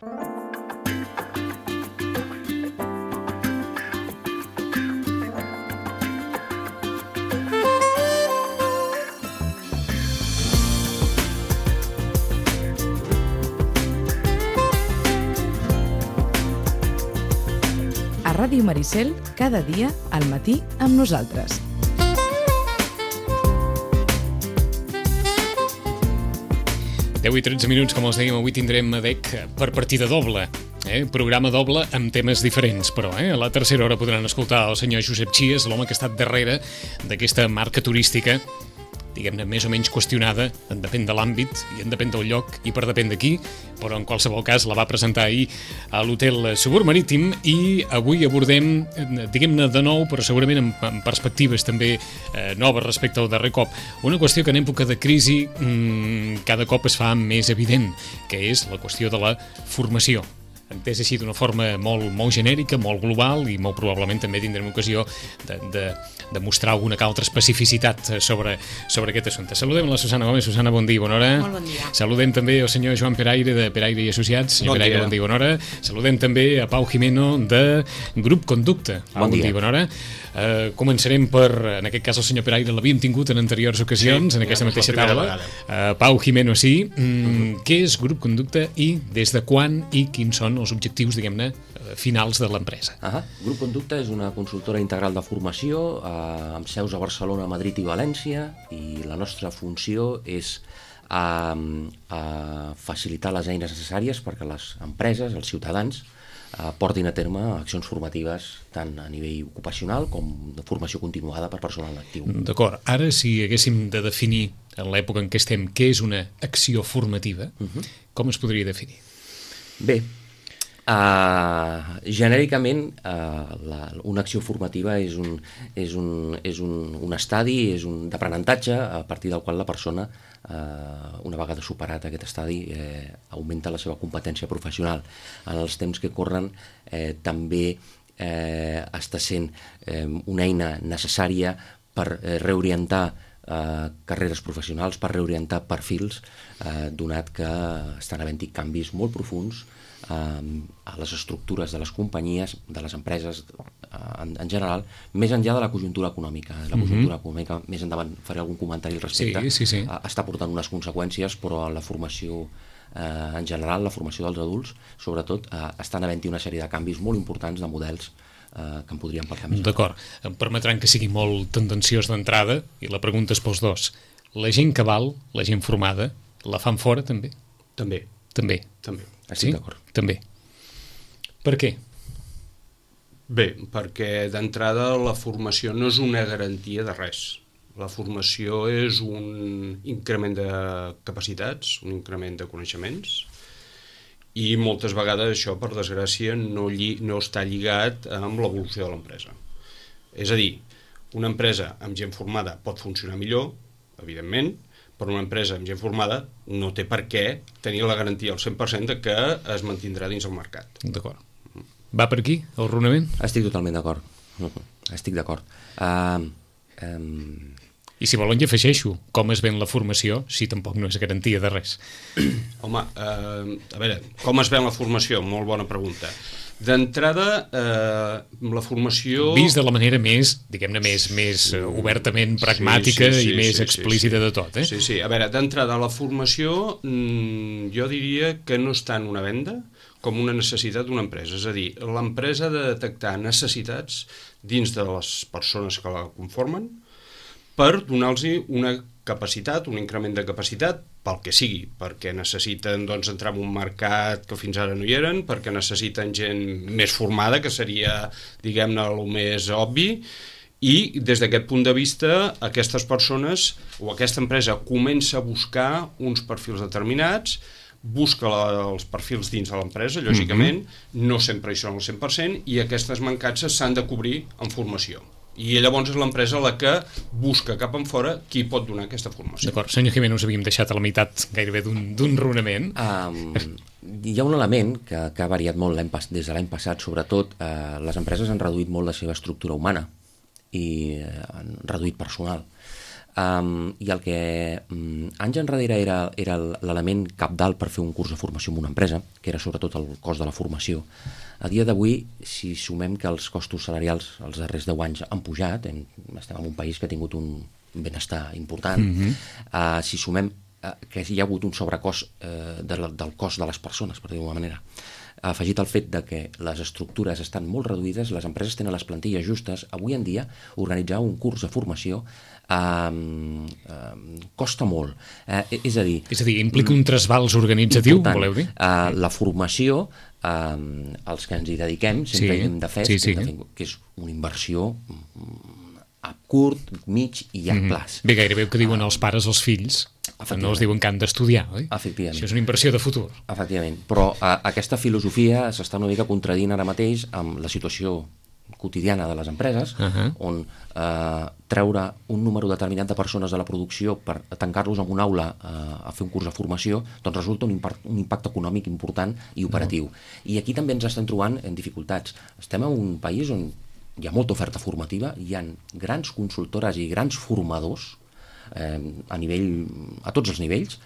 A Ràdio Maricel, cada dia, al matí, amb nosaltres. Deu i 13 minuts, com els dèiem, avui tindrem ADEC per partida doble. Programa doble amb temes diferents, però a la tercera hora podran escoltar el senyor Josep Chies, l'home que ha estat darrere d'aquesta marca turística, diguem-ne, més o menys qüestionada, en depèn de l'àmbit i en depèn del lloc i per depèn d'aquí, però en qualsevol cas la va presentar ahir a l'Hotel Suburb Marítim i avui abordem, diguem-ne de nou, però segurament amb perspectives també noves respecte al darrer cop, una qüestió que en època de crisi cada cop es fa més evident, que és la qüestió de la formació. Entès així d'una forma molt genèrica, molt global, i molt probablement també tindrem ocasió de mostrar alguna que altra especificitat sobre aquest assumpte. Saludem la Susana Gómez. Susana, bon dia, bona hora. Molt bon dia. Saludem també el senyor Joan Peraire, de Peraire i Associats. Senyor Peraire, bon dia, bona hora. Saludem també a Pau Jimeno, de Grup Conducta. Bon dia, bona hora. Començarem per, en aquest cas el senyor Peraire l'havíem tingut en anteriors ocasions, en aquesta mateixa taula. Pau Jimeno, sí. Què és Grup Conducta i des de quan i quins són els objectius, diguem-ne, finals de l'empresa? Grup Conducta és una consultora integral de formació amb seus a Barcelona, Madrid i València, i la nostra funció és facilitar les eines necessàries perquè les empreses, els ciutadans, portin a terme accions formatives tant a nivell ocupacional com de formació continuada per personal actiu. D'acord. Ara, si haguéssim de definir en l'època en què estem què és una acció formativa, com es podria definir? Bé, genèricament una acció formativa és un estadi d'aprenentatge a partir del qual la persona, una vegada superat aquest estadi, augmenta la seva competència professional. En els temps que corren també està sent una eina necessària per reorientar carreres professionals, per reorientar perfils, donat que estan havent-hi canvis molt profunds a les estructures de les companyies, de les empreses en general, més enllà de la conjuntura econòmica. La conjuntura econòmica, més endavant faré algun comentari al respecte, sí. Està portant unes conseqüències, però la formació en general, la formació dels adults, sobretot, estan havent-hi una sèrie de canvis molt importants de models que en podríem parlar més. D'acord. Em permetran que sigui molt tendenciós d'entrada, i la pregunta és pels dos. La gent que val, la gent formada, la fan fora també? També. Estic d'acord. També. Per què? Bé, perquè d'entrada la formació no és una garantia de res. La formació és un increment de capacitats, un increment de coneixements, i moltes vegades això, per desgràcia, no està lligat amb l'evolució de l'empresa. És a dir, una empresa amb gent formada pot funcionar millor, evidentment, però una empresa amb gent formada no té per què tenir la garantia al 100% de que es mantindrà dins el mercat. D'acord. Va per aquí, el raonament? Estic totalment d'acord. Estic d'acord. I si volen, hi afegeixo com es ven la formació, si tampoc no és garantia de res. Home, a veure, com es ven la formació? Molt bona pregunta. D'entrada, la formació... Vist de la manera més, diguem-ne, més obertament pragmàtica i més explícita de tot, eh? Sí. A veure, d'entrada, la formació jo diria que no és tant una venda com una necessitat d'una empresa. És a dir, l'empresa ha de detectar necessitats dins de les persones que la conformen per donar-los una capacitat, un increment de capacitat, pel que sigui, perquè necessiten entrar en un mercat que fins ara no hi eren, perquè necessiten gent més formada, que seria, diguem-ne, el més obvi, i des d'aquest punt de vista aquestes persones o aquesta empresa comença a buscar uns perfils determinats, busca els perfils dins de l'empresa, lògicament, no sempre hi són al 100%, i aquestes mancances s'han de cobrir amb formació. I llavors és l'empresa la que busca cap en fora qui pot donar aquesta formació. D'acord. Senyor Jimeno, us havíem deixat a la meitat gairebé d'un raonament. Hi ha un element que ha variat molt des de l'any passat, sobretot les empreses han reduït molt la seva estructura humana i han reduït personal. I el que anys enrere era l'element cabdal per fer un curs de formació en una empresa, que era sobretot el cost de la formació, a dia d'avui, si sumem que els costos salarials els darrers 10 anys han pujat, estem en un país que ha tingut un benestar important, si sumem que hi ha hagut un sobrecost del cost de les persones, per dir-ho d'una manera, afegit el fet de que les estructures estan molt reduïdes, les empreses tenen les plantilles justes, avui en dia organitzar un curs de formació costa molt. És a dir, implica un trasbals organitzatiu, important. Voleu dir? La formació, els que ens hi dediquem, sempre hi hem de fer, que és una inversió a curt, mig i llarg plaç. Bé, gairebé que diuen els pares als fills, no els diuen que han d'estudiar, oi? Efectivament. Això és una inversió de futur. Efectivament, però aquesta filosofia s'està una mica contradient ara mateix amb la situació quotidiana de les empreses, on treure un número determinat de persones de la producció per tancar-los en una aula a fer un curs de formació, doncs resulta un impacte econòmic important i operatiu. I aquí també ens estem trobant en dificultats. Estem en un país on hi ha molta oferta formativa, hi ha grans consultores i grans formadors a tots els nivells,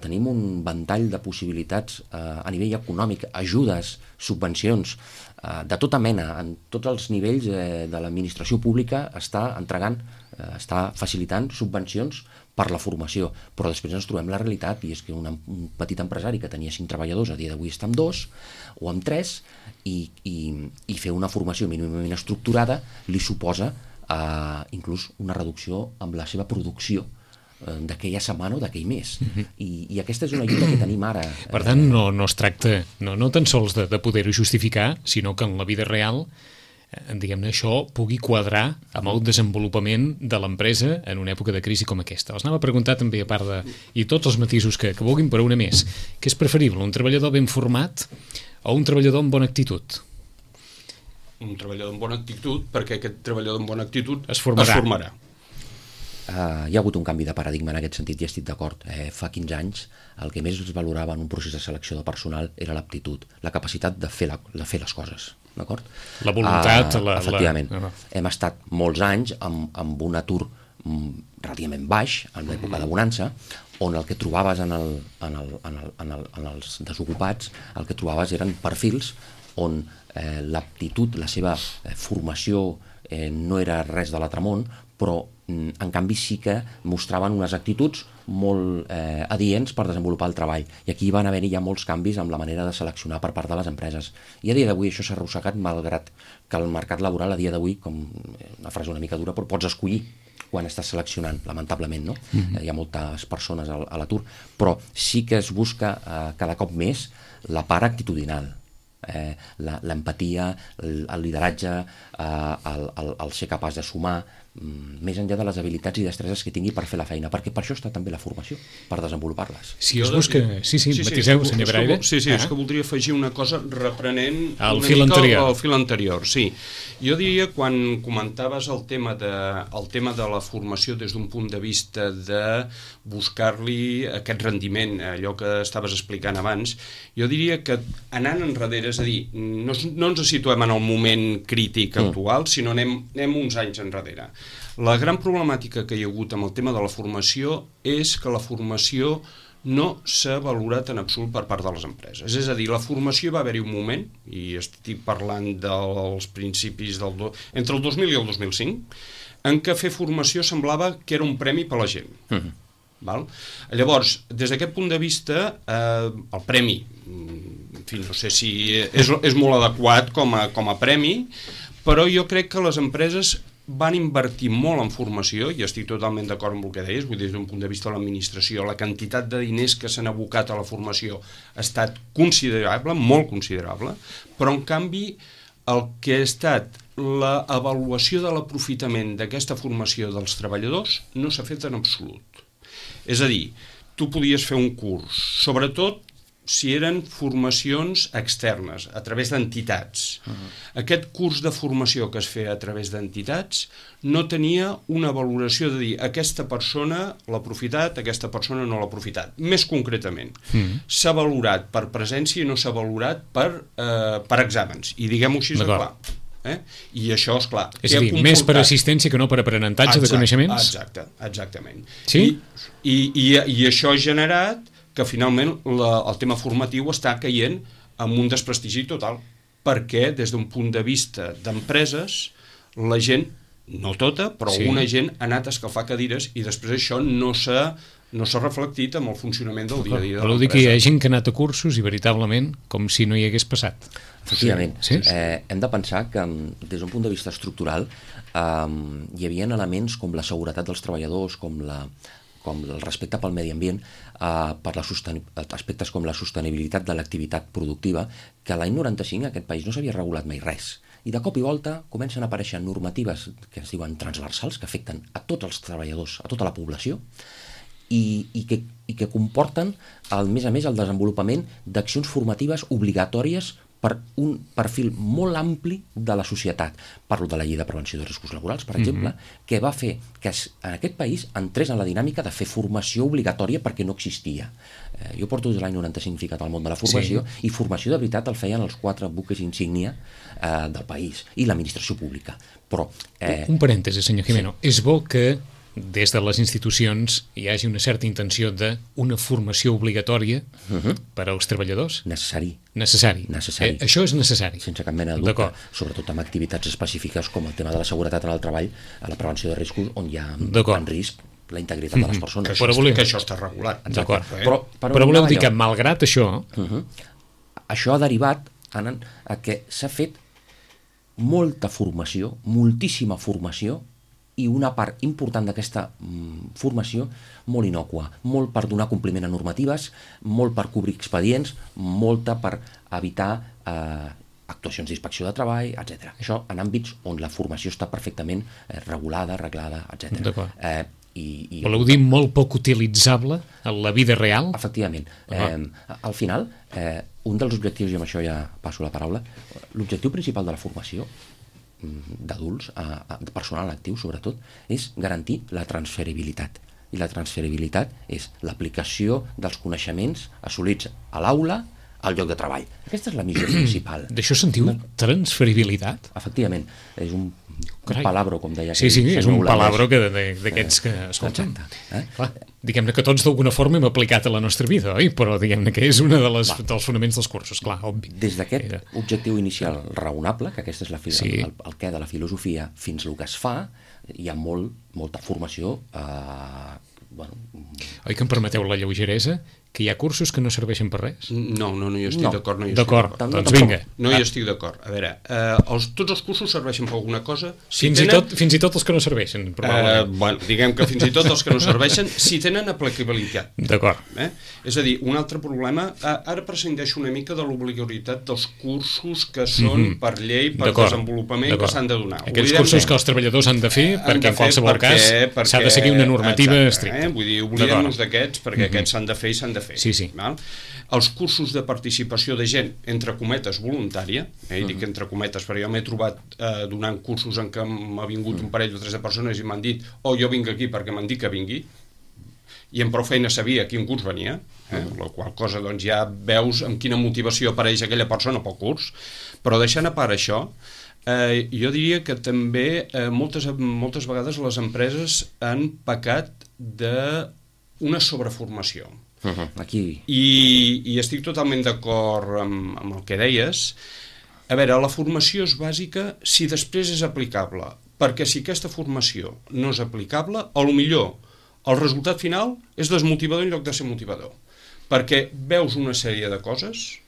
tenim un ventall de possibilitats a nivell econòmic, ajudes, subvencions, de tota mena, en tots els nivells de l'administració pública està facilitant subvencions per la formació, però després ens trobem la realitat, i és que un petit empresari que tenia 5 treballadors a dia d'avui està amb 2 o amb 3, i fer una formació mínimament estructurada li suposa inclús una reducció amb la seva producció d'aquella setmana o d'aquell mes. I aquesta és una lluita que tenim ara. Per tant, no es tracta no tan sols de poder-ho justificar, sinó que en la vida real, diguem-ne, això pugui quadrar amb el desenvolupament de l'empresa en una època de crisi com aquesta. Els anava a preguntar també, a part de... i tots els matisos que vulguin, però una més. Què és preferible, un treballador ben format o un treballador amb bona actitud? Un treballador amb bona actitud, perquè aquest treballador amb bona actitud es formarà. Hi ha hagut un canvi de paradigma en aquest sentit i estic d'acord. Fa 15 anys el que més es valorava en un procés de selecció de personal era l'aptitud, la capacitat de fer les coses, d'acord? La voluntat. Efectivament. Hem estat molts anys amb un atur relativament baix, en l'època de bonança, on el que trobaves en els desocupats, el que trobaves eren perfils on l'aptitud, la seva formació no era res de l'altre món, però en canvi sí que mostraven unes actituds molt adients per desenvolupar el treball. I aquí van haver-hi ja molts canvis amb la manera de seleccionar per part de les empreses. I a dia d'avui això s'ha arrossegat, malgrat que el mercat laboral a dia d'avui, com una frase una mica dura, però pots escollir quan estàs seleccionant, lamentablement, no? Hi ha moltes persones a l'atur, però sí que es busca cada cop més la part actitudinal, l'empatia, el lideratge, el ser capaç de sumar, més enllà de les habilitats i destreses que tingui per fer la feina, perquè per això està també la formació, per desenvolupar-les. Si es busca... Sí, matiseu, senyor Braire. Sí, és que voldria afegir una cosa reprenent el fil anterior. El fil anterior, sí. Jo diria, quan comentaves el tema de la formació des d'un punt de vista de buscar-li aquest rendiment, allò que estaves explicant abans, jo diria que anant enrere, és a dir, no ens situem en el moment crític actual, sinó anem uns anys enrere. La gran problemàtica que hi ha hagut amb el tema de la formació és que la formació no s'ha valorat en absolut per part de les empreses. És a dir, la formació va haver-hi un moment, i estic parlant dels principis entre el 2000 i el 2005, en què fer formació semblava que era un premi per a la gent. Val? Llavors, des d'aquest punt de vista, el premi, en fi, no sé si és molt adequat com a premi, però jo crec que les empreses van invertir molt en formació, i estic totalment d'acord amb el que deies, vull dir, des d'un punt de vista de l'administració, la quantitat de diners que s'han abocat a la formació ha estat considerable, molt considerable, però en canvi el que ha estat l'avaluació de l'aprofitament d'aquesta formació dels treballadors no s'ha fet en absolut. És a dir, tu podies fer un curs, sobretot si eren formacions externes, a través d'entitats. Aquest curs de formació que es feia a través d'entitats no tenia una valoració de dir aquesta persona l'ha aprofitat, aquesta persona no l'ha aprofitat. Més concretament, s'ha valorat per presència i no s'ha valorat per exàmens. I diguem-ho així de clar. I això, esclar... És a dir, més per assistència que no per aprenentatge de coneixements? Exactament. Sí? I això ha generat que finalment el tema formatiu està caient amb un desprestigi total, perquè des d'un punt de vista d'empreses la gent, no tota, però alguna gent ha anat a escalfar cadires i després això no s'ha reflectit amb el funcionament del dia a dia de l'empresa. Vol dir que hi ha gent que ha anat a cursos i veritablement com si no hi hagués passat. Efectivament. Sí? Hem de pensar que des d'un punt de vista estructural hi havia elements com la seguretat dels treballadors, com el respecte pel medi ambient, per aspectes com la sostenibilitat de l'activitat productiva, que l'any 95 en aquest país no s'havia regulat mai res. I de cop i volta comencen a aparèixer normatives que es diuen transversals, que afecten a tots els treballadors, a tota la població, i que comporten, a més, el desenvolupament d'accions formatives obligatòries per un perfil molt ampli de la societat. Parlo de la llei de prevenció de riscos laborals, per exemple, que va fer que en aquest país entrés en la dinàmica de fer formació obligatòria perquè no existia. Jo porto des de l'any 95 ficat al món de la formació, i formació de veritat el feien els 4 buques insígnia del país i l'administració pública. Però, un parèntesi, senyor Jimeno. És bo que des de les institucions hi hagi una certa intenció d'una formació obligatòria per als treballadors? Necessari. Això és necessari. Sense cap mena de dubte, sobretot amb activitats específiques com el tema de la seguretat en el treball, a la prevenció de riscos, on hi ha en risc la integritat de les persones. Que això està regulat. D'acord. Però voleu dir que, malgrat això... Això ha derivat a que s'ha fet molta formació, moltíssima formació, i una part important d'aquesta formació molt innòcua, molt per donar compliment a normatives, molt per cobrir expedients, molta per evitar actuacions d'inspecció de treball, etc. Això en àmbits on la formació està perfectament regulada, arreglada, etc. Voleu dir molt poc utilitzable en la vida real? Efectivament. Al final, un dels objectius, i amb això ja passo la paraula, l'objectiu principal de la formació d'adults, personal actiu sobretot, és garantir la transferibilitat. I la transferibilitat és l'aplicació dels coneixements assolits a l'aula al lloc de treball. Aquesta és la missió principal. D'això se'n diu transferibilitat? Efectivament. És un palabro, com deia. Sí, és un palabro d'aquests que escolten. Diguem-ne que tots d'alguna forma hem aplicat a la nostra vida, oi? Però diguem-ne que és un dels fonaments dels cursos, clar, obvi. Des d'aquest objectiu inicial raonable, que aquest és el què de la filosofia, fins al que es fa, hi ha molta formació. Oi que em permeteu la lleugeresa? Que hi ha cursos que no serveixin per res? No, jo estic d'acord. D'acord, doncs vinga. No, jo estic d'acord. A veure, tots els cursos serveixen per alguna cosa. Fins i tot els que no serveixen, probablement. Diguem que fins i tot els que no serveixen, si tenen aplicabilitat. D'acord. És a dir, un altre problema, ara prescindeixo una mica de l'obligatorietat dels cursos que són per llei, per desenvolupament, que s'han de donar. Aquells cursos que els treballadors han de fer, perquè en qualsevol cas s'ha de seguir una normativa estricta. Vull dir, oblidem-nos d'aquests, perquè aquests s'han de fer i s'han de fer. Sí. Els cursos de participació de gent, entre cometes, voluntària, i dic entre cometes perquè jo m'he trobat donant cursos en què m'ha vingut un parell o 3 de persones i m'han dit jo vinc aquí perquè m'han dit que vingui, i amb prou feina sabia a quin curs venia, la qual cosa doncs ja veus amb quina motivació apareix aquella persona pel curs. Però deixant a part això, jo diria que també moltes vegades les empreses han pecat d'una sobreformació. I estic totalment d'acord amb el que deies. A veure, la formació és bàsica si després és aplicable, perquè si aquesta formació no és aplicable, potser el resultat final és desmotivador en lloc de ser motivador, perquè veus una sèrie de coses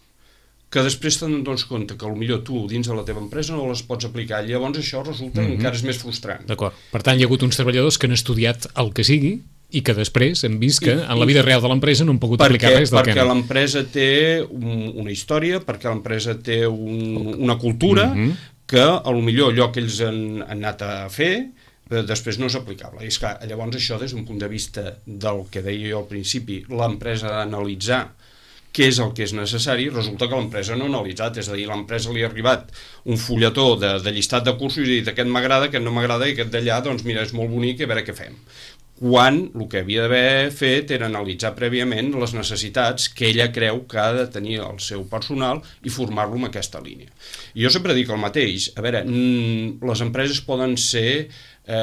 que després te'n dones compte que potser tu dins de la teva empresa no les pots aplicar, llavors això resulta encara és més frustrant. D'acord. Per tant, hi ha hagut uns treballadors que han estudiat el que sigui i que després hem vist que en la vida real de l'empresa no han pogut aplicar res del que perquè l'empresa té una història, perquè l'empresa té una cultura que potser allò que ells han anat a fer després no és aplicable. I és que llavors això des d'un punt de vista del que deia jo al principi, l'empresa ha d'analitzar què és el que és necessari, resulta que l'empresa no ha analitzat, és a dir, l'empresa li ha arribat un fulletó de llistat de cursos i ha dit aquest m'agrada, aquest no m'agrada i aquest d'allà, doncs mira, és molt bonic i a veure què fem. quan el que havia d'haver fet era analitzar prèviament les necessitats que ella creu que ha de tenir el seu personal i formar-lo en aquesta línia. I jo sempre dic el mateix, a veure, les empreses poden ser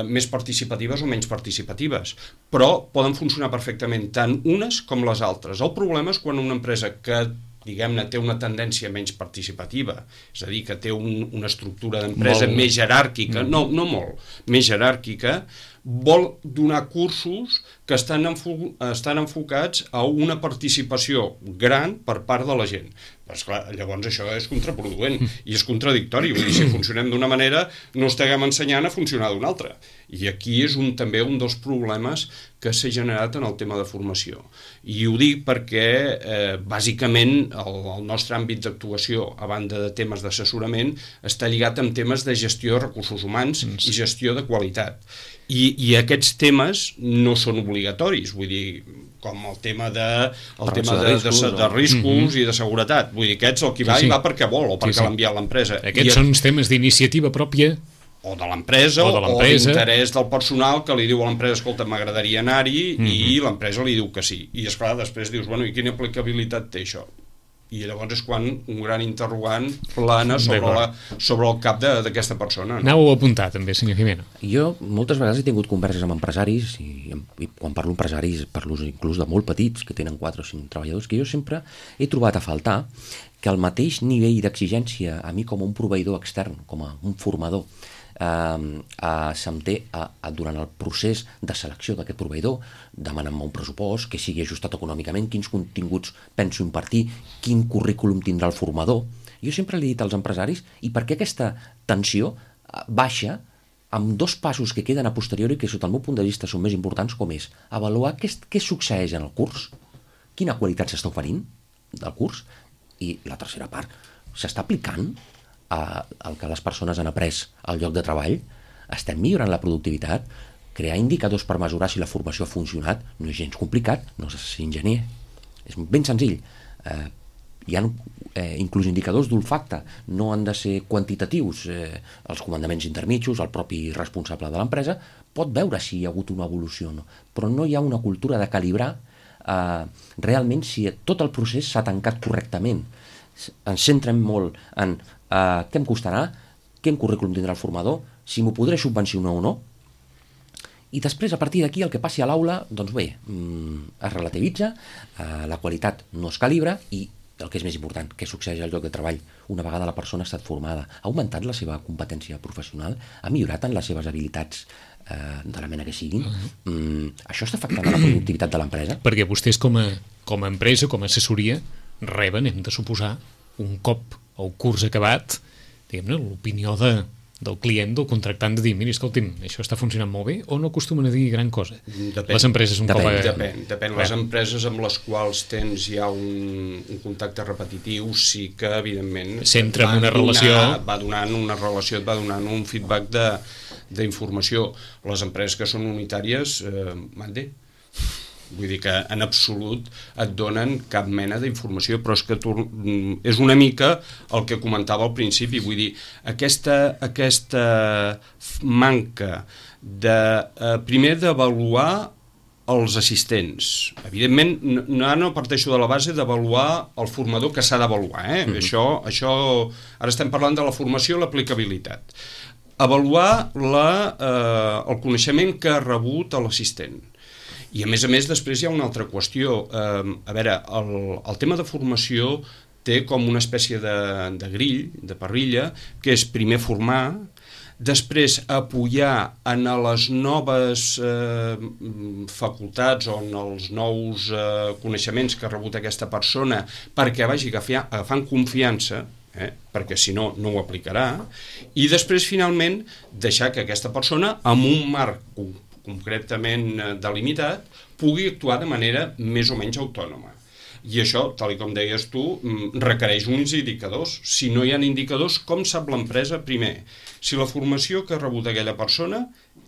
més participatives o menys participatives, però poden funcionar perfectament tant unes com les altres. El problema és quan una empresa que diguem-ne, té una tendència menys participativa, és a dir, que té una estructura d'empresa més jeràrquica, no molt, més jeràrquica, vol donar cursos que estan enfocats a una participació gran per part de la gent. Però, esclar, llavors això és contraproduent i és contradictori. Vull dir, si funcionem d'una manera, no estiguem ensenyant a funcionar d'una altra. I aquí és també un dels problemes que s'ha generat en el tema de formació. I ho dic perquè, bàsicament, el nostre àmbit d'actuació, a banda de temes d'assessorament, està lligat amb temes de gestió de recursos humans i gestió de qualitat. I aquests temes no són obligatoris, vull dir, com el tema de riscos i de seguretat. Vull dir, aquests el qui va i va perquè vol o perquè l'ha enviat l'empresa. Aquests són temes d'iniciativa pròpia o de l'empresa, o d'interès del personal que li diu a l'empresa, escolta, m'agradaria anar-hi, i l'empresa li diu que sí. I esclar, després dius, bueno, i quina aplicabilitat té això? I llavors és quan un gran interrogant plana sobre el cap d'aquesta persona. Anau a apuntar també, senyor Jimeno. Jo moltes vegades he tingut converses amb empresaris, i quan parlo empresaris parlo inclús de molt petits, que tenen 4 o 5 treballadors, que jo sempre he trobat a faltar que el mateix nivell d'exigència a mi com a un proveïdor extern, com a un formador, se'm té durant el procés de selecció d'aquest proveïdor, demanant-me un pressupost que sigui ajustat econòmicament, quins continguts penso impartir, quin currículum tindrà el formador. Jo sempre li he dit als empresaris, i per què aquesta tensió baixa amb 2 passos que queden a posteriori que sota el meu punt de vista són més importants, com és avaluar què succeeix en el curs, quina qualitat s'està oferint del curs, i la tercera part, s'està aplicant el que les persones han après al lloc de treball, estem millorant la productivitat, crear indicadors per mesurar si la formació ha funcionat no és gens complicat, no s'ha de ser enginyer, és ben senzill. Hi ha inclús indicadors d'olfacte, no han de ser quantitatius, els comandaments intermitjos, el propi responsable de l'empresa pot veure si hi ha hagut una evolució o no, però no hi ha una cultura de calibrar realment si tot el procés s'ha tancat correctament. Ens centrem molt en què em costarà, quin currículum tindrà el formador, si m'ho podré subvencionar o no, i després a partir d'aquí el que passi a l'aula, doncs bé, es relativitza, la qualitat no es calibra i el que és més important, què succeeix al lloc de treball una vegada la persona ha estat formada, ha augmentat la seva competència professional, ha millorat en les seves habilitats de la mena que siguin. Això està afectant la productivitat de l'empresa? Perquè vostès com a empresa, com a assessoria, reben, hem de suposar, un cop el curs acabat, diguem-ne, l'opinió del client, del contractant, de dir, mira, escolti'm, això està funcionant molt bé, o no acostumen a dir gran cosa? Depèn. Les empreses un cop... Depèn. Les empreses amb les quals tens ja un contacte repetitiu, sí que, evidentment, s'entra en una relació... Va donant una relació, et va donant un feedback d'informació. Les empreses que són unitàries, mande. Vull dir que en absolut et donen cap mena d'informació, però és que és una mica el que comentava al principi, vull dir, aquesta manca primer d'avaluar els assistents. Evidentment, no parteixo de la base d'avaluar el formador que s'ha d'avaluar. Això, ara estem parlant de la formació i l'aplicabilitat. Avaluar el coneixement que ha rebut l'assistent. I a més, després hi ha una altra qüestió. A veure, el tema de formació té com una espècie de grill, de parrilla, que és primer formar, després apoyar en les noves facultats o en els nous coneixements que ha rebut aquesta persona perquè vagi agafant confiança, perquè si no, no ho aplicarà, i després, finalment, deixar que aquesta persona, amb un marc concretament delimitat, pugui actuar de manera més o menys autònoma. I això, tal com deies tu, requereix uns indicadors. Si no hi ha indicadors, com sap l'empresa, primer, si la formació que ha rebut aquella persona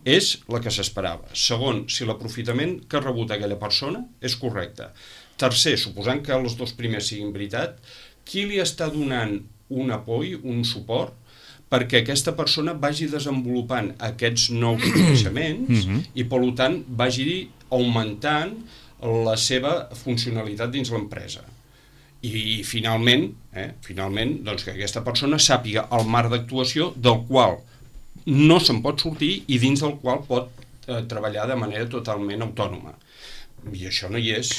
és la que s'esperava. Segon, si l'aprofitament que ha rebut aquella persona és correcte. Tercer, suposant que els 2 primers siguin veritat, qui li està donant un apoy, un suport, perquè aquesta persona vagi desenvolupant aquests nous coneixements i, per tant, vagi augmentant la seva funcionalitat dins l'empresa. I finalment, doncs, que aquesta persona sàpiga el marc d'actuació del qual no se'n pot sortir i dins del qual pot treballar de manera totalment autònoma. I això no hi és.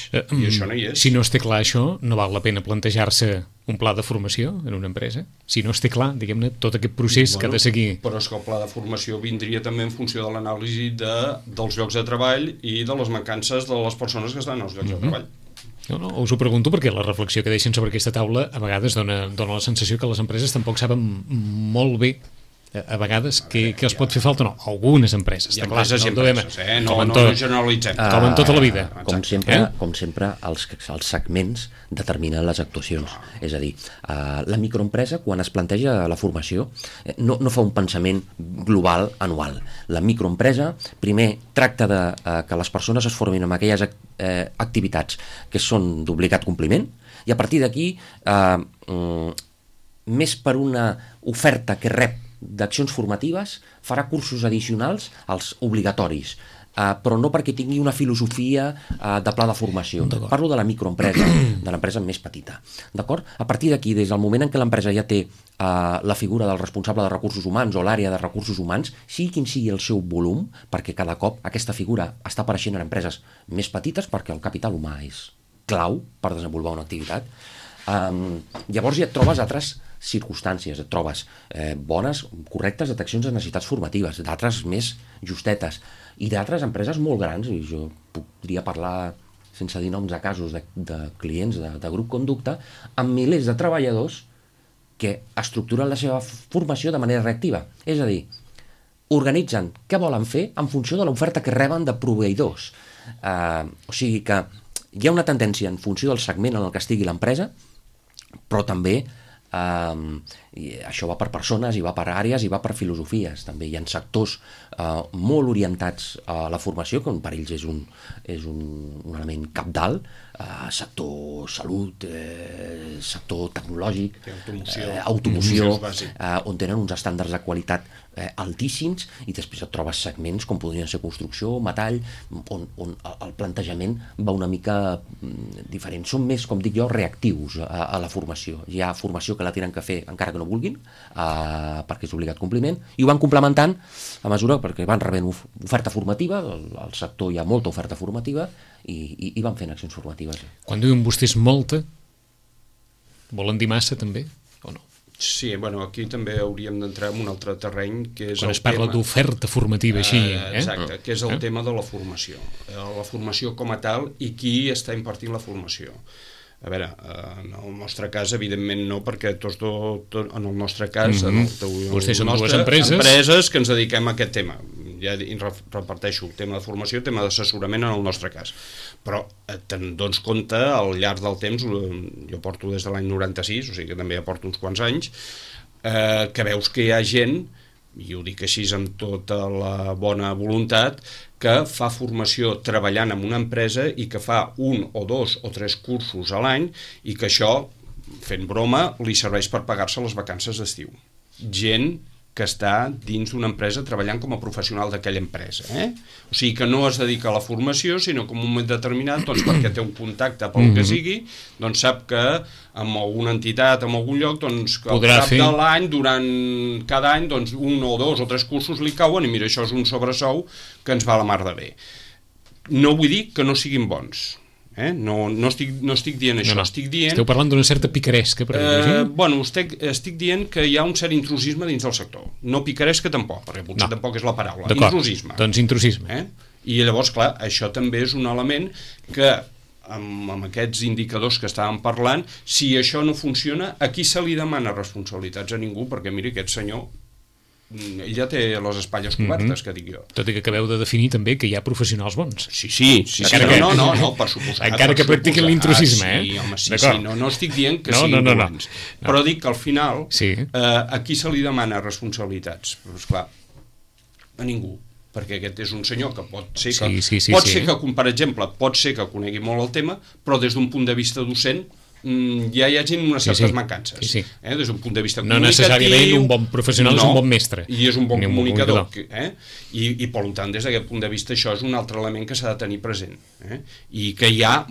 Si no es té clar això, no val la pena plantejar-se un pla de formació en una empresa? Si no es té clar, diguem-ne, tot aquest procés que ha de seguir... Però és que el pla de formació vindria també en funció de l'anàlisi dels llocs de treball i de les mancances de les persones que estan als llocs de treball. No, us ho pregunto perquè la reflexió que deixen sobre aquesta taula a vegades dona la sensació que les empreses tampoc saben molt bé a vegades que els pot fer falta, no, algunes empreses, hi ha empreses i empreses, no generalitzem. Com en tota la vida. Com sempre, els segments determinen les actuacions. És a dir, la microempresa, quan es planteja la formació, no fa un pensament global anual. La microempresa, primer, tracta de que les persones es formin en aquelles activitats que són d'obligat compliment, i a partir d'aquí, més per una oferta que rep d'accions formatives, farà cursos addicionals als obligatoris, però no perquè tingui una filosofia de pla de formació. Parlo de la microempresa, de l'empresa més petita. D'acord? A partir d'aquí, des del moment en què l'empresa ja té la figura del responsable de recursos humans o l'àrea de recursos humans, sigui quin sigui el seu volum, perquè cada cop aquesta figura està apareixent en empreses més petites perquè el capital humà és clau per desenvolupar una activitat, llavors ja et trobes altres circumstàncies, et trobes bones, correctes deteccions de necessitats formatives, d'altres més justetes, i d'altres empreses molt grans, i jo podria parlar sense dir noms de casos de clients de grup Conducta, amb milers de treballadors que estructuren la seva formació de manera reactiva. És a dir, organitzen què volen fer en funció de l'oferta que reben de proveïdors. O sigui que hi ha una tendència en funció del segment en el que estigui l'empresa, però també això va per persones, i va per àrees, i va per filosofies. També hi ha sectors molt orientats a la formació, que per ells és un element cabdal, sector salut, sector tecnològic, automoció, on tenen uns estàndards de qualitat altíssims, i després et trobes segments com podrien ser construcció, metall, on el plantejament va una mica diferent. Són més, com dic jo, reactius a la formació. Hi ha formació que la tenen que fer encara que no vulguin, perquè és obligat compliment, i ho van complementant a mesura perquè van rebent oferta formativa, al sector hi ha molta oferta formativa, i van fent accions formatives. Quan diuen vostès molta, volen dir massa també, o no? Sí, bueno, aquí també hauríem d'entrar en un altre terreny, que és quan es parla d'oferta formativa així, exacte, que és el tema de la formació. La formació com a tal i qui està impartint la formació. A veure, en el nostre cas, evidentment no, perquè en el nostre cas, vostès són dues empreses que ens dediquem a aquest tema. Ja reparteixo el tema de formació, el tema d'assessorament en el nostre cas. Però te'n dones compte, al llarg del temps, jo porto des de l'any 96, o sigui que també ja porto uns quants anys, que veus que hi ha gent, i ho dic així amb tota la bona voluntat, que fa formació treballant en una empresa i que fa 1 o 2 o 3 cursos a l'any i que això, fent broma, li serveix per pagar-se les vacances d'estiu. Gent que està dins d'una empresa treballant com a professional d'aquella empresa. O sigui que no es dedica a la formació, sinó que en un moment determinat, doncs perquè té un contacte pel que sigui, doncs sap que amb alguna entitat, en algun lloc, doncs que al cap de l'any, durant cada any, doncs 1 o 2 o 3 cursos li cauen i mira, això és un sobresou que ens va a la mar de bé. No vull dir que no siguin bons. No estic dient això, estic dient... Esteu parlant d'una certa picaresca, per dir-ho. Bueno, estic dient que hi ha un cert intrusisme dins del sector. No picaresca tampoc, perquè potser tampoc és la paraula. Intrusisme. Doncs intrusisme. I llavors, clar, això també és un element que, amb aquests indicadors que estàvem parlant, si això no funciona, a qui se li demana responsabilitats? A ningú, perquè miri, aquest senyor... ell ja té les espatlles cobertes, que dic jo. Tot i que acabeu de definir també que hi ha professionals bons. Sí, no, per suposat. Encara que practiquin l'intrusisme, Sí, home, sí, no estic dient que siguin dolents. Però dic que al final, a qui se li demana responsabilitats? Però esclar, a ningú. Perquè aquest és un senyor que pot ser que, per exemple, pot ser que conegui molt el tema, però des d'un punt de vista docent ja hi hagin unes certes mancances. Sí. Des d'un punt de vista no comunicatiu... No necessàriament un bon professional és un bon mestre. I és un bon comunicador. I per tant, des d'aquest punt de vista, això és un altre element que s'ha de tenir present. I que hi ha,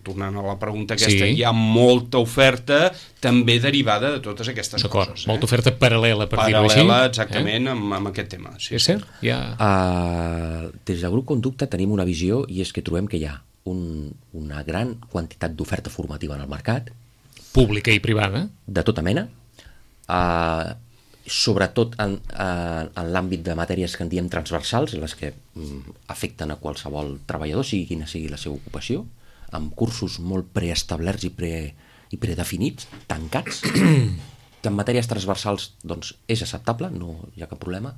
tornant a la pregunta aquesta, hi ha molta oferta també derivada de totes aquestes coses. Molta oferta paral·lela, per dir-ho així. Paral·lela, exactament, amb aquest tema. És cert? Des del grup Conducta tenim una visió, i és que trobem que hi ha una gran quantitat d'oferta formativa en el mercat. Pública i privada. De tota mena. Sobretot en l'àmbit de matèries que en diem transversals, les que afecten a qualsevol treballador, sigui quina sigui la seva ocupació, amb cursos molt preestablerts i predefinits, tancats, que en matèries transversals doncs, és acceptable, no hi ha cap problema,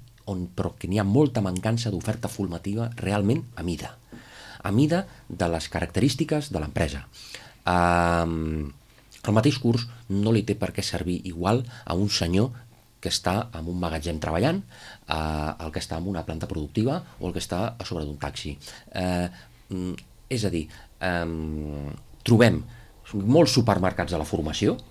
però que n'hi ha molta mancança d'oferta formativa realment a mida de les característiques de l'empresa. El mateix curs no li té per què servir igual a un senyor que està en un magatzem treballant, el que està en una planta productiva o el que està a sobre d'un taxi. És a dir, trobem molts supermercats de la formació,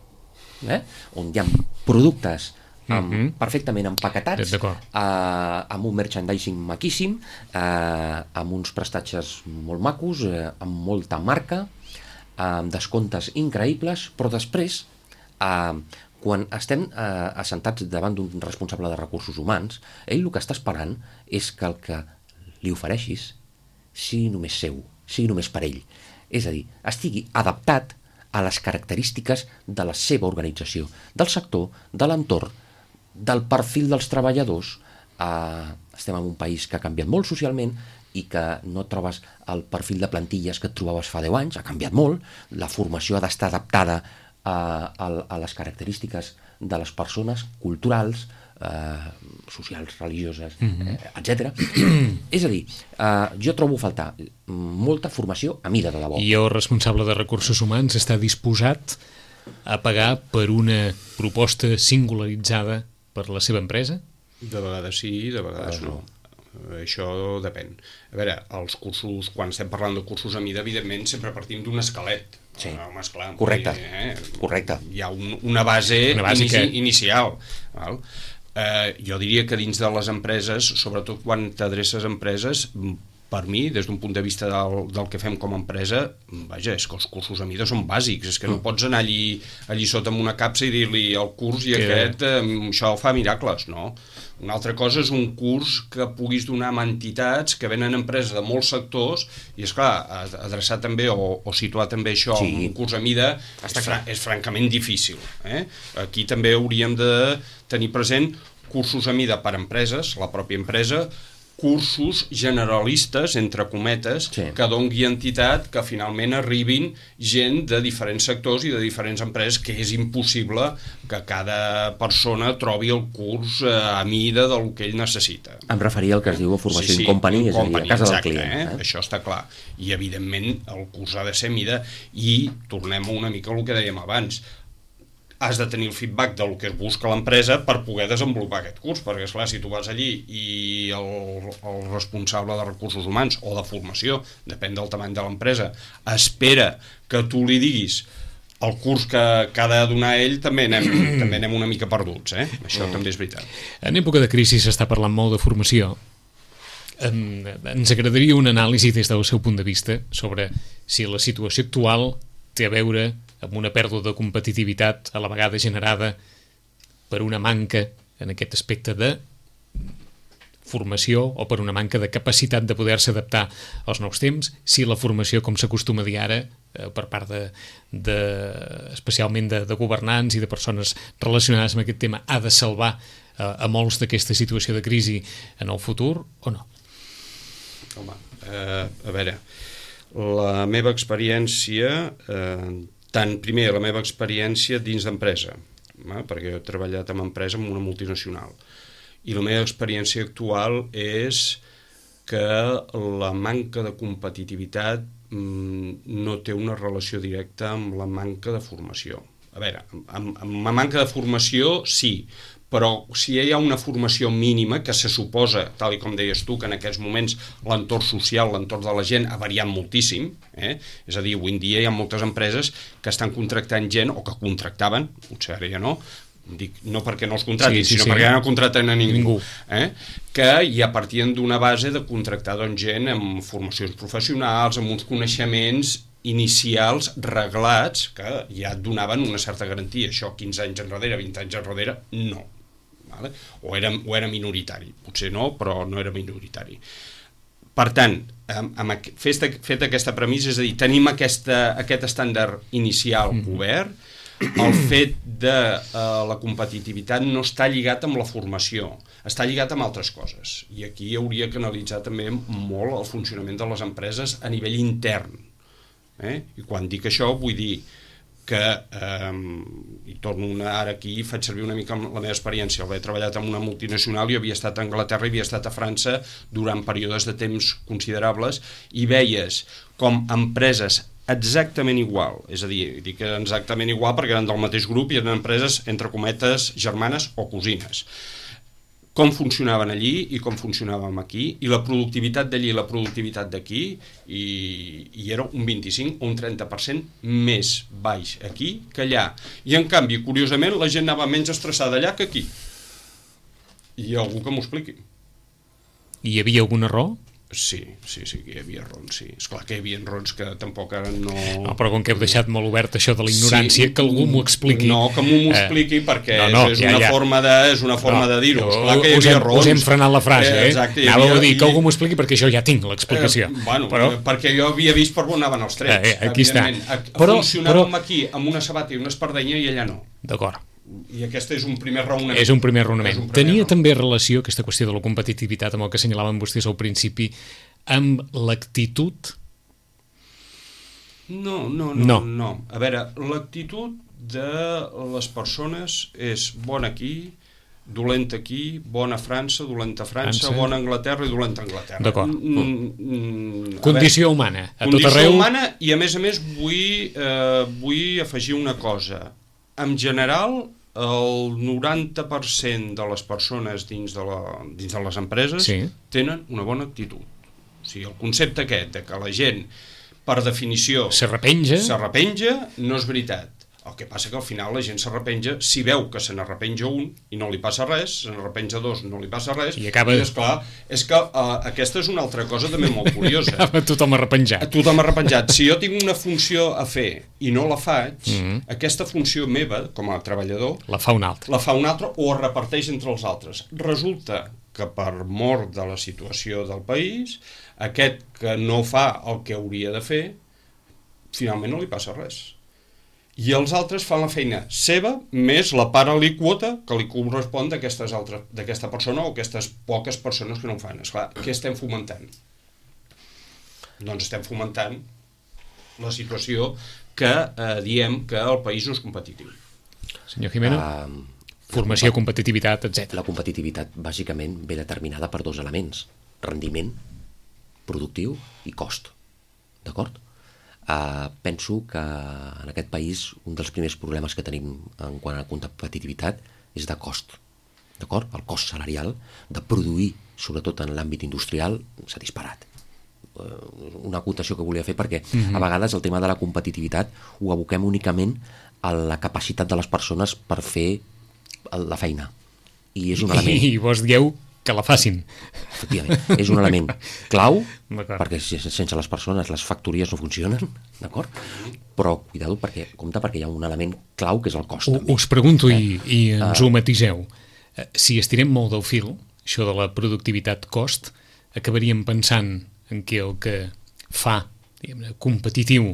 on hi ha productes perfectament empaquetats, amb un merchandising maquíssim, amb uns prestatges molt macos, amb molta marca, amb descomptes increïbles, però després, quan estem assentats davant d'un responsable de recursos humans, ell el que està esperant és que el que li ofereixis sigui només seu, sigui només per ell. És a dir, estigui adaptat a les característiques de la seva organització, del sector, de l'entorn, del perfil dels treballadors. Estem en un país que ha canviat molt socialment i que no trobes el perfil de plantilles que et trobaves fa 10 anys, ha canviat molt, la formació ha d'estar adaptada a les característiques de les persones, culturals, socials, religioses, etc. És a dir, jo trobo a faltar molta formació a mida de debò. I el responsable de recursos humans està disposat a pagar per una proposta singularitzada per la seva empresa? De vegades sí, de vegades no. Això depèn. A veure, els cursos, quan estem parlant de cursos a mida, evidentment sempre partim d'un esquelet. Sí, esclar, correcte. Hi ha una base inicial. Val? Jo diria que dins de les empreses, sobretot quan t'adreces a empreses, per mi, des d'un punt de vista del que fem com a empresa, vaja, és que els cursos a mida són bàsics, és que no pots anar allí sota amb una capsa i dir-li el curs i això fa miracles, no? Una altra cosa és un curs que puguis donar a entitats que venen empreses de molts sectors i, esclar, adreçar també o situar també això en un curs a mida és francament difícil. Aquí també hauríem de tenir present cursos a mida per empreses, la pròpia empresa, cursos generalistes, entre cometes, que dongui entitat que finalment arribin gent de diferents sectors i de diferents empreses, que és impossible que cada persona trobi el curs a mida del que ell necessita. Em referia al que es diu formació in company, és a dir, a casa del client. Això està clar. I, evidentment, el curs ha de ser a mida i tornem una mica al que dèiem abans. Has de tenir el feedback del que es busca l'empresa per poder desenvolupar aquest curs, perquè, esclar, si tu vas allí i el responsable de recursos humans o de formació, depèn del tamany de l'empresa, espera que tu li diguis el curs que ha de donar ell, també anem una mica perduts, Això també és veritat. En època de crisi s'està parlant molt de formació. Ens agradaria una anàlisi des del seu punt de vista sobre si la situació actual té a veure amb una pèrdua de competitivitat a la vegada generada per una manca en aquest aspecte de formació o per una manca de capacitat de poder-se adaptar als nous temps, si la formació, com s'acostuma a dir ara, per part especialment de governants i de persones relacionades amb aquest tema, ha de salvar a molts d'aquesta situació de crisi en el futur o no? Home, a veure, la meva experiència... Primer, la meva experiència dins d'empresa, perquè jo he treballat en empresa en una multinacional, i la meva experiència actual és que la manca de competitivitat no té una relació directa amb la manca de formació. A veure, amb la manca de formació sí, però si hi ha una formació mínima que se suposa, tal com deies tu, que en aquests moments l'entorn social, l'entorn de la gent ha variat moltíssim, és a dir, avui en dia hi ha moltes empreses que estan contractant gent, o que contractaven, potser ara ja no, dic, no perquè no els contractin, sinó perquè ja no contracten a ningú. Que ja partien d'una base de contractar gent amb formacions professionals, amb uns coneixements inicials reglats que ja et donaven una certa garantia. Això 15 anys enrere, 20 anys enrere, no. Vale? O era minoritari. Potser no, però no era minoritari. Per tant, fet aquesta premissa, és a dir, tenim aquest estàndard inicial obert, el fet de la competitivitat no està lligat amb la formació, està lligat amb altres coses. I aquí hauria que analitzar també molt el funcionament de les empreses a nivell intern. I quan dic això vull dir que, i torno ara aquí, faig servir una mica la meva experiència, he treballat en una multinacional, jo havia estat a Anglaterra i havia estat a França durant períodes de temps considerables, i veies com empreses exactament igual, és a dir, dic exactament igual perquè eren del mateix grup i eren empreses, entre cometes, germanes o cosines, com funcionaven allí i com funcionàvem aquí, i la productivitat d'allí i la productivitat d'aquí, i era un 25 o un 30% més baix aquí que allà. I en canvi, curiosament, la gent anava menys estressada allà que aquí. I hi ha algú que m'ho expliqui. Hi havia algun error? Sí, que hi havia errors, sí. Esclar que hi havia errors que tampoc ara no... No, però com que heu deixat molt obert això de la ignorància, que algú m'ho expliqui. No, que m'ho expliqui, perquè és una forma de dir-ho. Esclar que hi havia errors. Us hem frenat la frase, Exacte, anàveu a dir que algú m'ho expliqui perquè jo ja tinc l'explicació. Perquè jo havia vist per on anaven els trets. Aquí està. Funcionàvem aquí amb una sabata i una espardenya i allà no. D'acord. I aquest és un primer raonament. És un primer raonament. Tenia també relació aquesta qüestió de la competitivitat amb el que assenyalaven vostès al principi, amb l'actitud? No. A veure, l'actitud de les persones és bona aquí, dolenta aquí, bona a França, dolenta a França, bona a Anglaterra i dolenta a Anglaterra. D'acord. Condició humana, a tot arreu. Condició humana, i a més vull afegir una cosa. En general, el 90% de les persones dins de les empreses tenen una bona actitud. O sigui, el concepte aquest de que la gent, per definició, s'arrepenja, no és veritat. El que passa que al final la gent s'arrepenja si veu que se n'arrepenja un i no li passa res, se n'arrepenja dos, no li passa res, i acaba... és que aquesta és una altra cosa també molt curiosa. Acaba tothom arrepenjat. Tothom arrepenjat. Si jo tinc una funció a fer i no la faig, aquesta funció meva, com a treballador, la fa un altre. O es reparteix entre els altres. Resulta que per mort de la situació del país, aquest que no fa el que hauria de fer, finalment no li passa res. I els altres fan la feina seva més la part alíquota que li correspon d'aquesta persona o aquestes poques persones que no ho fan. Esclar, què estem fomentant? Doncs estem fomentant la situació que diem que el país no és competitiu. Senyor Jimeno, formació, competitivitat, etc. La competitivitat bàsicament ve determinada per dos elements: rendiment productiu i cost. D'acord? Penso que en aquest país un dels primers problemes que tenim en quant a competitivitat és de cost. D'acord? El cost salarial de produir, sobretot en l'àmbit industrial, s'ha disparat. Una acotació que volia fer perquè a vegades el tema de la competitivitat ho aboquem únicament a la capacitat de les persones per fer la feina. I és un element... I vos dieu que la facin. Efectivament, és un element clau, perquè sense les persones les factories no funcionen, d'acord? Però cuidado, compte, perquè hi ha un element clau que és el cost. Us pregunto i ens ho matiseu. Si estirem molt del fil, això de la productivitat-cost, acabaríem pensant en que el que fa competitiu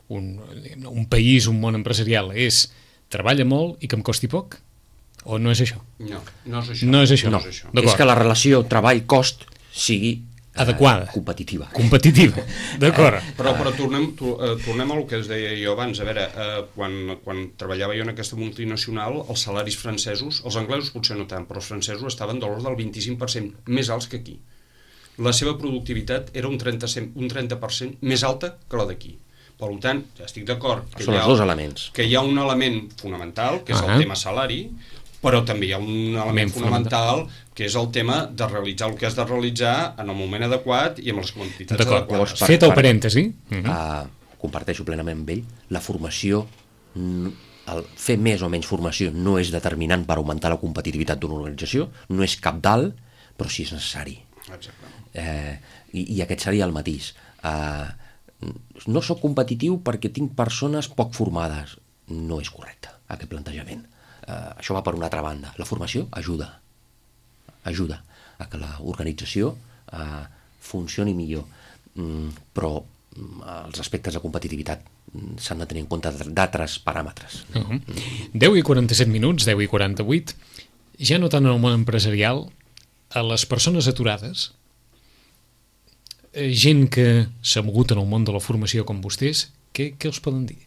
un país, un món empresarial, és treballa molt i que em costi poc? O no és això? No és això. No és això. No. És que la relació treball-cost sigui adequada, competitiva. D'acord. Però tornem a el que es deia jo abans. A veure, quan treballava jo en aquesta multinacional, els salaris francesos, els anglesos potser no tant, però els francesos estaven de l'ordre del 25% més alts que aquí. La seva productivitat era un 30% més alta que la d'aquí. Per tant, ja estic d'acord que són els dos elements. Que hi ha un element fonamental, que és el tema salari, Però també hi ha un element fonamental, que és el tema de realitzar el que has de realitzar en el moment adequat i amb les quantitats D'acord. adequades. Fet el parèntesi. Comparteixo plenament amb ell, la formació, el fer més o menys formació no és determinant per augmentar la competitivitat d'una organització, no és cabdal, però sí és necessari. Exacte. I aquest seria el matís. No sóc competitiu perquè tinc persones poc formades. No és correcte, aquest plantejament. Això va per una altra banda. La formació ajuda a que l'organització funcioni millor, però els aspectes de competitivitat s'han de tenir en compte d'altres paràmetres. 10:47, 10:48. Ja no tant en el món empresarial, a les persones aturades, gent que s'ha mogut en el món de la formació com vostès, què els poden dir?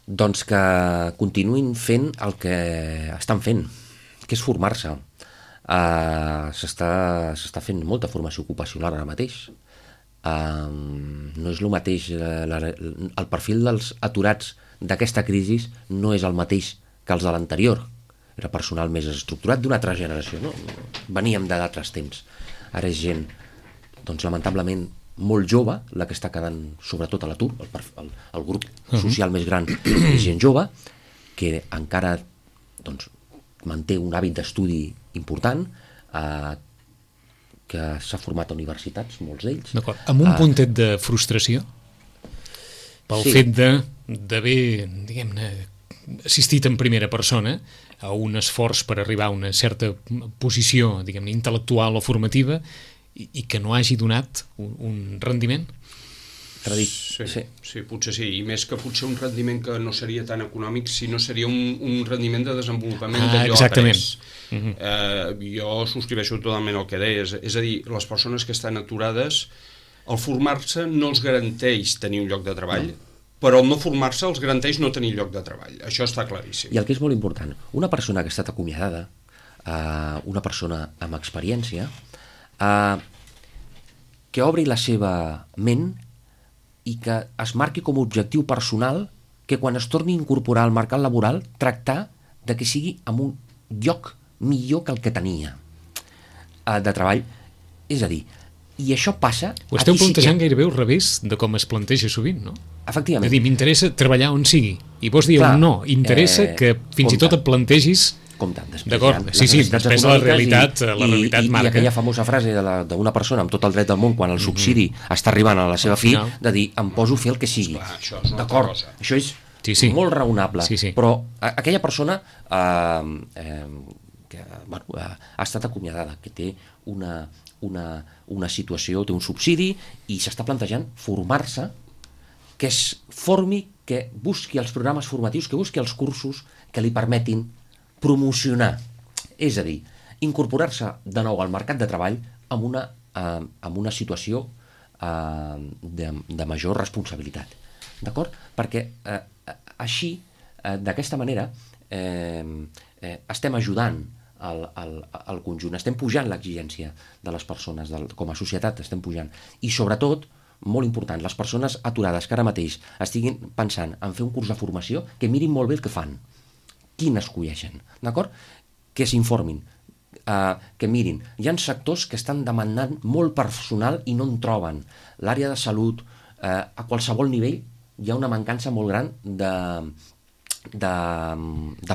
Doncs que continuïn fent el que estan fent, que és formar-se. S'està fent molta formació ocupacional ara mateix. No és el mateix, el perfil dels aturats d'aquesta crisi no és el mateix que els de l'anterior. Era personal més estructurat d'una altra generació, no? Veníem d'altres temps. Ara és gent, doncs lamentablement, molt jove, la que està quedant sobretot a l'atur, el grup social més gran és gent jove, que encara doncs, manté un hàbit d'estudi important, que s'ha format a universitats, molts d'ells. D'acord. Amb un puntet de frustració? Pel fet d'haver, diguem-ne, assistit en primera persona a un esforç per arribar a una certa posició, diguem-ne, intel·lectual o formativa, i que no hagi donat un rendiment? Sí, potser sí, i més que potser un rendiment que no seria tan econòmic, sinó seria un rendiment de desenvolupament d'allò après. Jo subscriveixo totalment el que deies, és a dir, les persones que estan aturades, el formar-se no els garanteix tenir un lloc de treball, però el no formar-se els garanteix no tenir lloc de treball, això està claríssim. I el que és molt important, una persona que ha estat acomiadada, una persona amb experiència, que obri la seva ment i que es marqui com a objectiu personal que quan es torni a incorporar al mercat laboral tractar de que sigui en un lloc millor que el que tenia de treball. És a dir, i això passa... Ho esteu plantejant gairebé al revés de com es planteja sovint, no? Efectivament. És a dir, m'interessa treballar on sigui. I vos dieu no, interessa que fins i tot et plantegis... D'acord, sí, després la realitat marca. I aquella famosa frase d'una persona amb tot el dret del món quan el subsidi està arribant a la seva fi, de dir, em poso a fer el que sigui. D'acord, això és molt raonable, però aquella persona que ha estat acomiadada, que té una situació, té un subsidi i s'està plantejant formar-se, que es formi, que busqui els programes formatius, que busqui els cursos que li permetin promocionar, és a dir, incorporar-se de nou al mercat de treball amb una situació de major responsabilitat. D'acord? Perquè així, d'aquesta manera, estem ajudant al conjunt, estem pujant l'exigència de les persones, com a societat estem pujant. I sobretot, molt important, les persones aturades que ara mateix estiguin pensant en fer un curs de formació, que mirin molt bé el que fan, quin escolleixen, d'acord? Que s'informin, que mirin. Hi ha sectors que estan demandant molt personal i no en troben. L'àrea de salut, a qualsevol nivell, hi ha una mancança molt gran de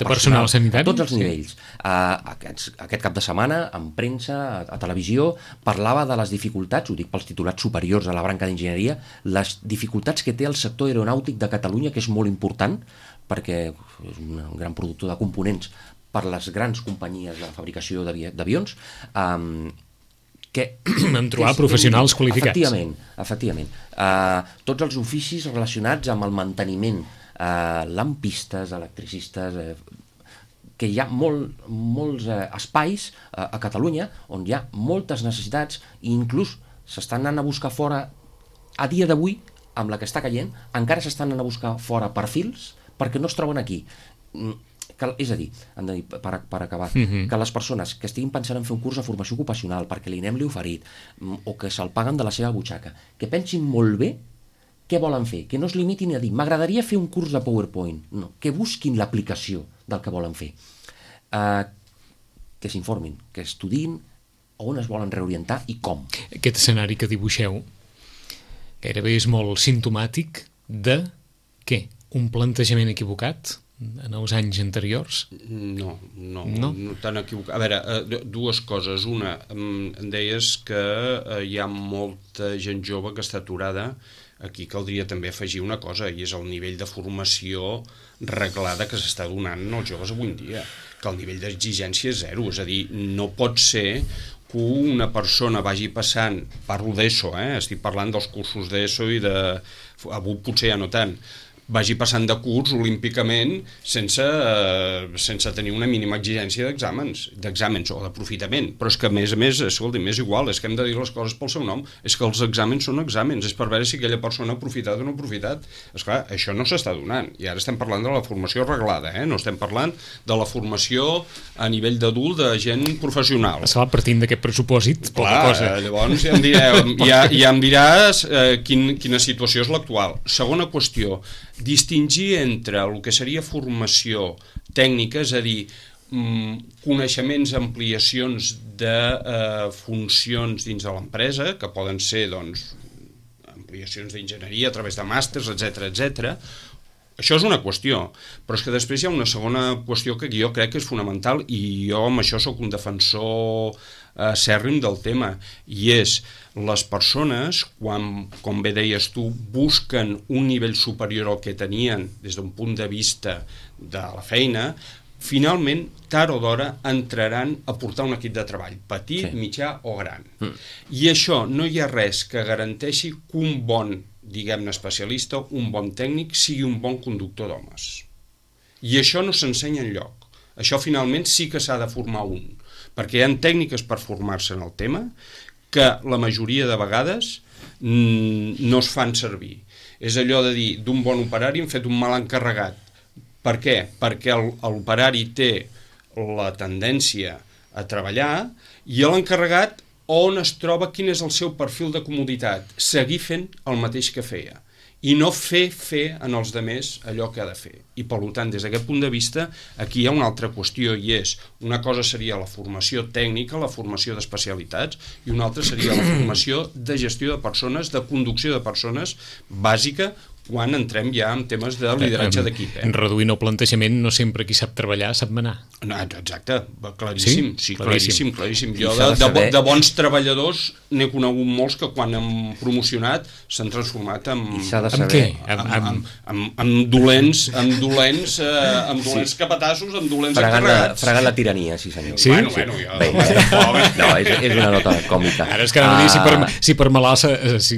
personal sanitari. A tots els nivells. Aquest cap de setmana, en premsa, a televisió, parlava de les dificultats, ho dic pels titulats superiors a la branca d'enginyeria, les dificultats que té el sector aeronàutic de Catalunya, que és molt important, perquè és un gran productor de components per les grans companyies de fabricació d'avions, que... En trobar professionals qualificats. Efectivament. Tots els oficis relacionats amb el manteniment, lampistes, electricistes, que hi ha molts espais a Catalunya on hi ha moltes necessitats i inclús s'estan anant a buscar fora, a dia d'avui, amb la que està caient, encara s'estan anant a buscar fora perfils perquè no es troben aquí. És a dir, per acabar, que les persones que estiguin pensant en fer un curs de formació ocupacional perquè l'INEM li ha oferit o que se'l paguen de la seva butxaca, que pensin molt bé què volen fer, que no es limitin a dir m'agradaria fer un curs de PowerPoint, no, que busquin l'aplicació del que volen fer, que s'informin, que estudiïn on es volen reorientar i com. Aquest escenari que dibuixeu gairebé és molt simptomàtic de què? Un plantejament equivocat en els anys anteriors? No tan equivocat. A veure, dues coses. Una, em deies que hi ha molta gent jove que està aturada. Aquí caldria també afegir una cosa, i és el nivell de formació reglada que s'està donant als joves avui en dia, que el nivell d'exigència és zero. És a dir, no pot ser que una persona vagi passant, parlo d'ESO, estic parlant dels cursos d'ESO i de... avui potser ja no tant, vagi passant de curs olímpicament sense tenir una mínima exigència d'exàmens o d'aprofitament. Però és que, a més, escolti, és igual, és que hem de dir les coses pel seu nom, és que els exàmens són exàmens, és per veure si aquella persona ha aprofitat o no ha aprofitat. Esclar, això no s'està donant, i ara estem parlant de la formació reglada, no estem parlant de la formació a nivell d'adult de gent professional. Estava partint d'aquest pressupòsit, poca cosa. Llavors ja em diràs quina situació és l'actual. Segona qüestió, distingir entre el que seria formació tècnica, és a dir, coneixements, ampliacions de funcions dins de l'empresa, que poden ser ampliacions d'enginyeria a través de màsters, etc. Això és una qüestió, però és que després hi ha una segona qüestió que jo crec que és fonamental, i jo amb això sóc un defensor acèrrim del tema, i és les persones, quan, com bé deies tu, busquen un nivell superior al que tenien des d'un punt de vista de la feina, finalment, tard o d'hora, entraran a portar un equip de treball, petit, mitjà o gran. I això no hi ha res que garanteixi que un bon, diguem-ne, especialista, un bon tècnic, sigui un bon conductor d'homes. I això no s'ensenya enlloc. Això finalment sí que s'ha de formar un, perquè hi ha tècniques per formar-se en el tema que la majoria de vegades no es fan servir. És allò de dir, d'un bon operari hem fet un mal encarregat. Per què? Perquè l'operari té la tendència a treballar i l'encarregat on es troba, quin és el seu perfil de comoditat, seguir fent el mateix que feia i no fer en els demés allò que ha de fer. I per tant, des d'aquest punt de vista, aquí hi ha una altra qüestió, i és, una cosa seria la formació tècnica, la formació d'especialitats, i una altra seria la formació de gestió de persones, de conducció de persones bàsica, quan entrem ja en temes de lideratge d'equip. Reduint el plantejament, no sempre qui sap treballar sap manar. No, exacte, claríssim. Sí, claríssim. Jo de bons treballadors n'he conegut molts que quan han promocionat s'han transformat en... Amb què? Amb dolents capatassos, amb dolents encarregats. Fregant la tirania, sí senyor. Sí? Bueno, no, és una nota còmica. Ara és que no dir si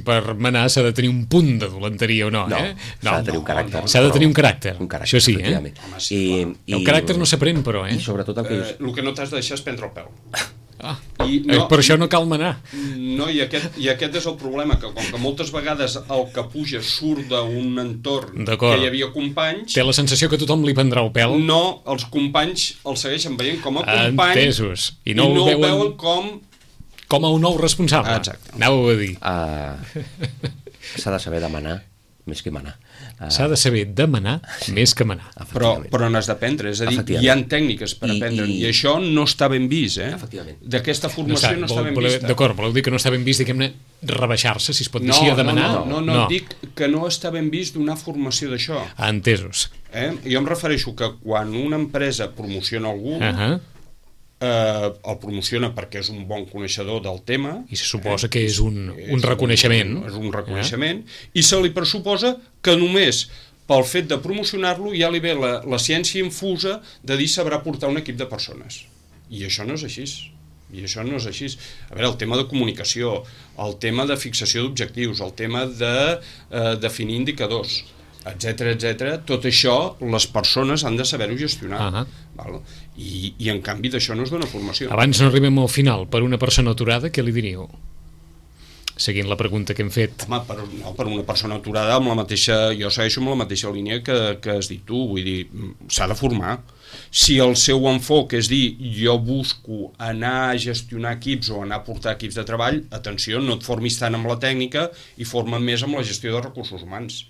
per manar s'ha de tenir un punt de dolenteria o no. S'ha de tenir un caràcter. S'ha de tenir un caràcter. Això sí, el caràcter no s'aprèn, però. I sobretot el que no t'has de deixar és prendre el pèl. Per això no cal manar. No, i aquest és el problema, que com que moltes vegades el que puja surt d'un entorn que hi havia companys... Té la sensació que tothom li prendrà el pèl. No, els companys el segueixen veient com a company. Entesos. I no el veuen com a un nou responsable. Exacte. Anàveu a dir. S'ha de saber demanar més que manar. S'ha de saber demanar més que manar. Però n'has d'aprendre, és a dir, hi ha tècniques per aprendre, i això no està ben vist, d'aquesta formació no està ben vista. D'acord, voleu dir que no està ben vist, diguem-ne, rebaixar-se, si es pot dir així, a demanar? No, dic que no està ben vist donar formació d'això. Entesos. Jo em refereixo que quan una empresa promociona algú, el promociona perquè és un bon coneixedor del tema, i se suposa que és un reconeixement, és un reconeixement, i se li pressuposa que només pel fet de promocionar-lo ja li ve la ciència infusa de dir sabrà portar un equip de persones, i això no és així. A veure, el tema de comunicació, el tema de fixació d'objectius, el tema de definir indicadors, etc. Tot això les persones han de saber-ho gestionar. I en canvi d'això no es dona formació. Abans no arribem al final, per una persona aturada, què li diríeu? seguint la pregunta que hem fet. Home, per una persona aturada amb la mateixa... Jo segueixo amb la mateixa línia que has dit tu, vull dir, s'ha de formar. Si el seu enfoc és dir jo busco anar a gestionar equips o anar a portar equips de treball, atenció, no et formis tant amb la tècnica i forma més amb la gestió de recursos humans.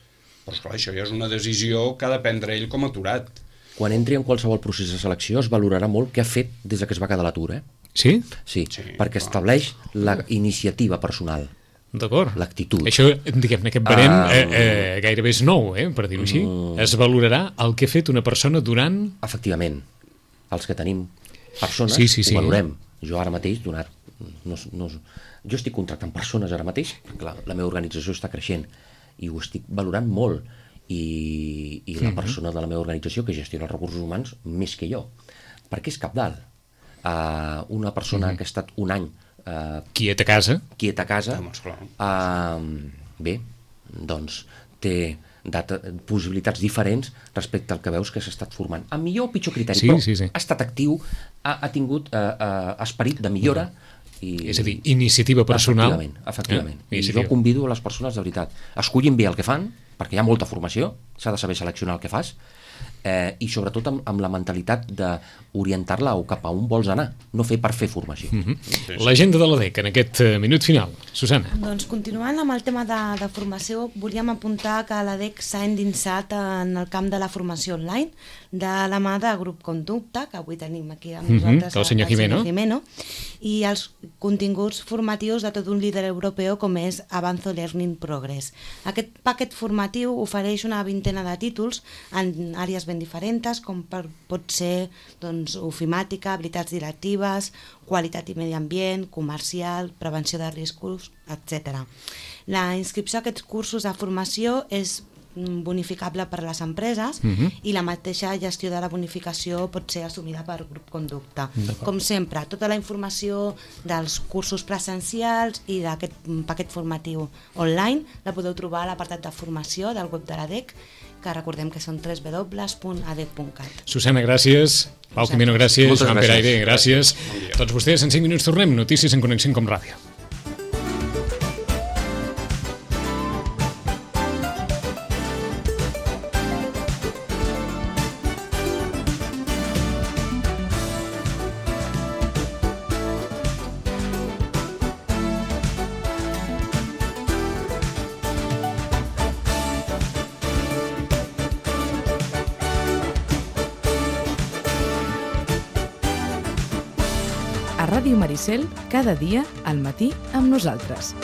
Però esclar, això ja és una decisió que ha de prendre ell com a aturat. Quan entri en qualsevol procés de selecció es valorarà molt què ha fet des que es va quedar a l'atur, Sí? Sí, perquè estableix la iniciativa personal. D'acord. L'actitud. Això, diguem-ne, aquest barem gairebé és nou, per dir-ho així. Es valorarà el que ha fet una persona durant... Efectivament. Els que tenim persones ho valorem. Jo ara mateix, jo estic contractant persones ara mateix, perquè la meva organització està creixent i ho estic valorant molt. I la persona de la meva organització que gestiona els recursos humans més que jo. Perquè és cabdal. Una persona que ha estat un any quiet a casa, bé, doncs té possibilitats diferents respecte al que veus que s'ha estat formant. Amb millor o pitjor criteri, però ha estat actiu, ha tingut esperit de millora. És a dir, iniciativa personal. Efectivament. I jo convido a les persones, de veritat, escollin bé el que fan, perquè hi ha molta formació, s'ha de saber seleccionar el que fas, i sobretot amb la mentalitat d'orientar-la cap a on vols anar, no fer per fer formació. L'agenda de l'ADEC en aquest minut final. Susana. Doncs continuant amb el tema de formació, volíem apuntar que l'ADEC s'ha endinsat en el camp de la formació online de la mà de Grup Conducta, que avui tenim aquí amb nosaltres el senyor Jimeno, i els continguts formatius de tot un líder europeu com és Avanzo Learning Progress. Aquest paquet formatiu ofereix una vintena de títols en àrees ben diferents, com pot ser ofimàtica, habilitats directives, qualitat i medi ambient, comercial, prevenció de riscos, etc. La inscripció a aquests cursos de formació és bonificable per a les empreses i la mateixa gestió de la bonificació pot ser assumida per Grup Conducta. Com sempre, tota la informació dels cursos presencials i d'aquest paquet formatiu online la podeu trobar a l'apartat de formació del web de l'ADEC, que recordem que són www.adec.cat. Susana, gràcies. Pau Jimeno, gràcies. Joan Peraire, gràcies. Tots vostès, en 5 minuts tornem. Notícies en Connexió com Ràdio. A Ràdio Maricel, cada dia al matí amb nosaltres.